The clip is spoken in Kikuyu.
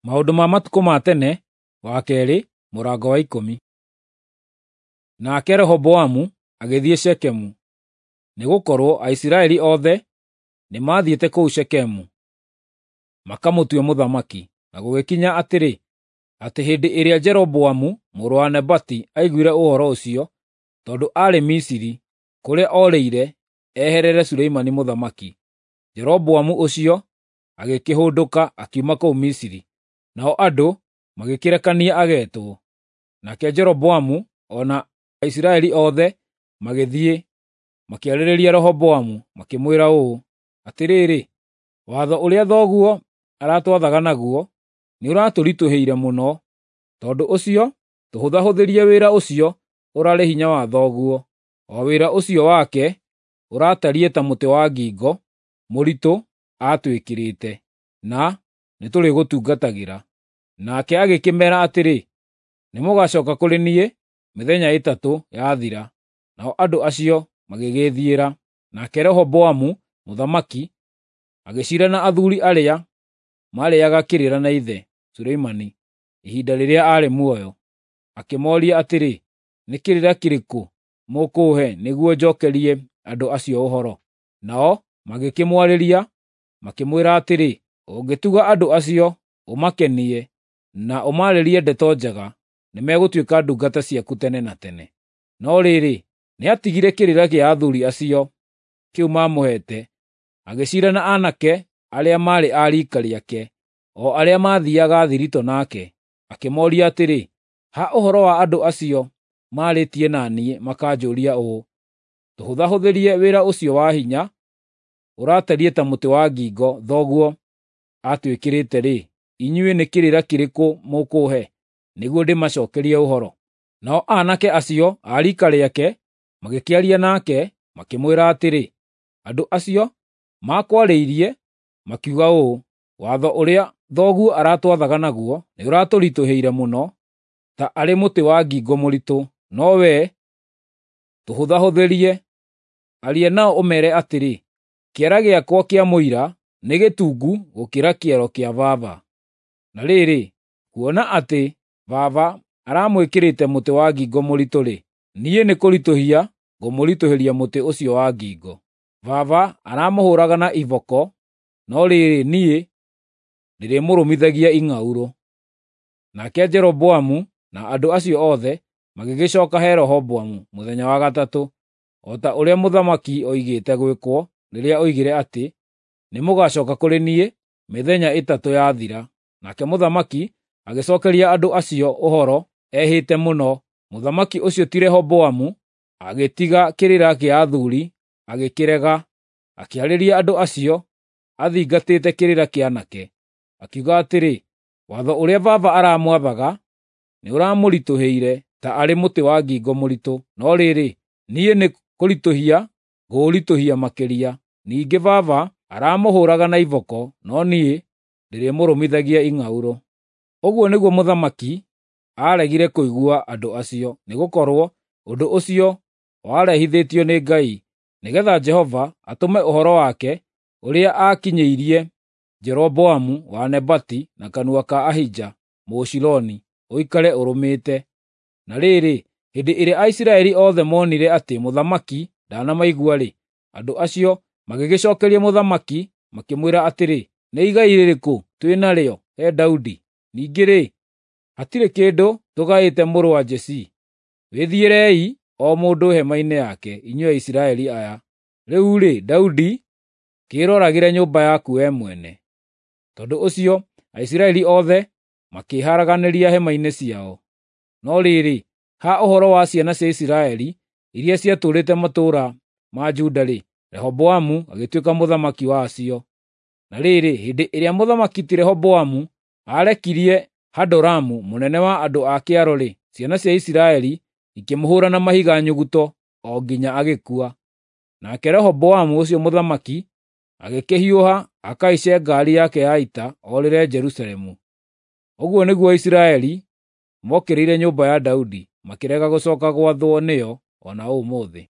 Maũndũ ma Matukũ ma Tene wa kerĩ mũrango wa 10. Nake Rehoboamu agĩthiĩ Shekemu, nĩgũkorwo Aisiraeli othe nĩmathiĩte kũu Shekemu makamũtue mũthamaki. Na gũgĩkinya atĩrĩ, atĩ hĩndĩ ĩrĩa Jeroboamu mũrũ wa Nebati aiguire ũhoro ũcio, tondũ aarĩ Misiri, kũrĩa orĩire eherere Suleimani mũthamaki, Jeroboamu ũcio agĩkĩhũndũka akiuma kũu Misiri, nao andũ magĩkĩrekania agetwo. Nake Jeroboamu o na Aisiraeli othe magĩthiĩ makĩarĩrĩria Rehoboamu makĩmwĩra ũũ, “Atĩrĩrĩ, watho ũrĩa thoguo aratwathaga naguo nĩũratũritũhĩire mũno. Tondũ ũcio tũhũthahũthĩrie wĩra ũcio ũrarĩ hinya wa thoguo, o wĩra ũcio wake ũratariĩ ta mũtĩ wa ngingo mũritũ aatwĩkĩrĩte, na nĩtũrĩgũtungatagĩra.” Nake agĩkĩmeera atĩrĩ, “Nĩmũgacooka kũrĩ niĩ mĩthenya 3 yathira.” Nao andũ acio magĩgĩĩthiĩra. Nake Rehoboamu mũthamaki agĩciira na athuuri arĩa maarĩĩaga kĩrĩra na ithe Suleimani ihinda rĩrĩa aarĩ muoyo, akĩmooria atĩrĩ, “Nĩ kĩrĩra kĩrĩkũ mũkũũhe nĩguo njookerie andũ acio ũhoro?” Nao magĩkĩmwarĩria, makĩmwĩra atĩrĩ, “Ũngĩtuga andũ acio, ũmakenie, na ũmaarĩrie ndeto njega, nĩmegũtuĩka ndungata ciaku tene na tene.” No rĩrĩ, nĩatigire kĩrĩra kĩa athuuri acio kĩu maamũheete, agĩciira na aanake arĩa maarĩ a riika rĩake, o arĩa maathiiaga thiritũ nake, akĩmooria atĩrĩ, “Ha ũhoro wa andũ acio maarĩtie na niĩ makanjũũria ũũ, ‘Tũhũthahũthĩrie wĩra ũcio wa hinya ũratariĩ ta mũtĩ wa ngingo thoguo aatwĩkĩrĩte-rĩ, inyuĩ nĩ kĩrĩra kĩrĩkũ mũkũũhe nĩguo ndĩmacookerie ũhoro?’ ” Nao aanake acio a riika rĩake magĩkĩaria nake, makĩmwĩra atĩrĩ, “Andũ acio maakwarĩirie makiuga ũũ, ‘Watho ũrĩa thoguo aratwathaga naguo nĩũratũritũhĩire mũno, ta arĩ mũtĩ wa ngingo mũritũ, no wee tũhũthahũthĩrie.’ Aria nao ũmeere atĩrĩ, ‘Kĩara gĩakwa kĩa mũira nĩ gĩtungu gũkĩra kĩero kĩa baba. Na rĩrĩ, kuona atĩ baba aramwĩkĩrĩte mũtĩ wa ngingo mũritũ-rĩ, niĩ nĩkũritũhia ngũmũritũhĩria mũtĩ ũcio wa ngingo. Baba aramũhũũraga na iboko, no rĩrĩ, niĩ ndĩrĩmũrũmithagia ing'aurũ.” Nake Jeroboamu na andũ acio othe magĩgĩcooka he Rehoboamu mũthenya wa gatatũ, o ta ũrĩa mũthamaki oigĩte gwĩkwo rĩrĩa oigire atĩ, “Nĩmũgacooka kũrĩ niĩ mĩthenya 3 yathira.” Nake mũthamaki agĩcookeria andũ acio ũhoro ehĩte mũno. Mũthamaki ũcio ti Rehoboamu agĩtiga kĩrĩra kĩa athuuri agĩkĩrega, akĩarĩria andũ acio athingatĩte kĩrĩra kĩa aanake, akiuga atĩrĩ, “Watho ũrĩa baba aramwathaga nĩũramũritũhĩire ta arĩ mũtĩ wa ngingo mũritũ, no rĩrĩ, niĩ nĩ kũritũhia ngũũritũhia makĩria. Ningĩ baba aramũhũũraga na iboko, no niĩ ndĩrĩmũrũmithagia ing'aurũ.” Ũguo nĩguo mũthamaki aaregire kũigua andũ acio, nĩgũkorwo ũndũ ũcio warehithĩtio nĩ Ngai, nĩgeetha Jehova atũme ũhoro wake ũrĩa aakinyĩirie Jeroboamu wa Nebati na kanua ka Ahija Mũshiloni ũikare ũrũmĩte. Na rĩrĩ, hĩndĩ ĩrĩa Aisiraeli othe moonire atĩ mũthamaki ndanamaigua-rĩ, andũ acio magĩgĩcookeria mũthamaki makĩmwĩra atĩrĩ, “Nĩ igai rĩrĩkũ twĩ narĩo he Daudi? Ningĩ-rĩ, hatirĩ kĩndũ tũgaĩte mũrũ wa Jesii. Wĩthiĩrei o mũndũ hema-inĩ yake, inyuĩ Aisiraeli aya! Rĩu-rĩ, Daudi, kĩĩroragĩre nyũmba yaku wee mwene.” Tondũ ũcio Aisiraeli othe makĩĩharaganĩria hema-inĩ ciao. No rĩrĩ, ha ũhoro wa ciana cia Isiraeli iria ciatũũrĩte matũũra ma Juda-rĩ, Rehoboamu agĩtuĩka mũthamaki wacio. Na rĩrĩ, hĩndĩ ĩrĩa mũthamaki ti Rehoboamu aarekirie Hadoramu mũnene wa andũ a kĩaro-rĩ, ciana cia Isiraeli ikĩmũhũũra na mahiga nyuguto o nginya agĩkua. Nake Rehoboamu ũcio mũthamaki agĩkĩhiũha akahaice ngaari yake ya ita orĩre Jerusalemu. Ũguo nĩguo Isiraeli mookĩrĩire nyũmba ya Daudi, makĩrega gũcooka gwathwo nĩyo o na ũmũthĩ.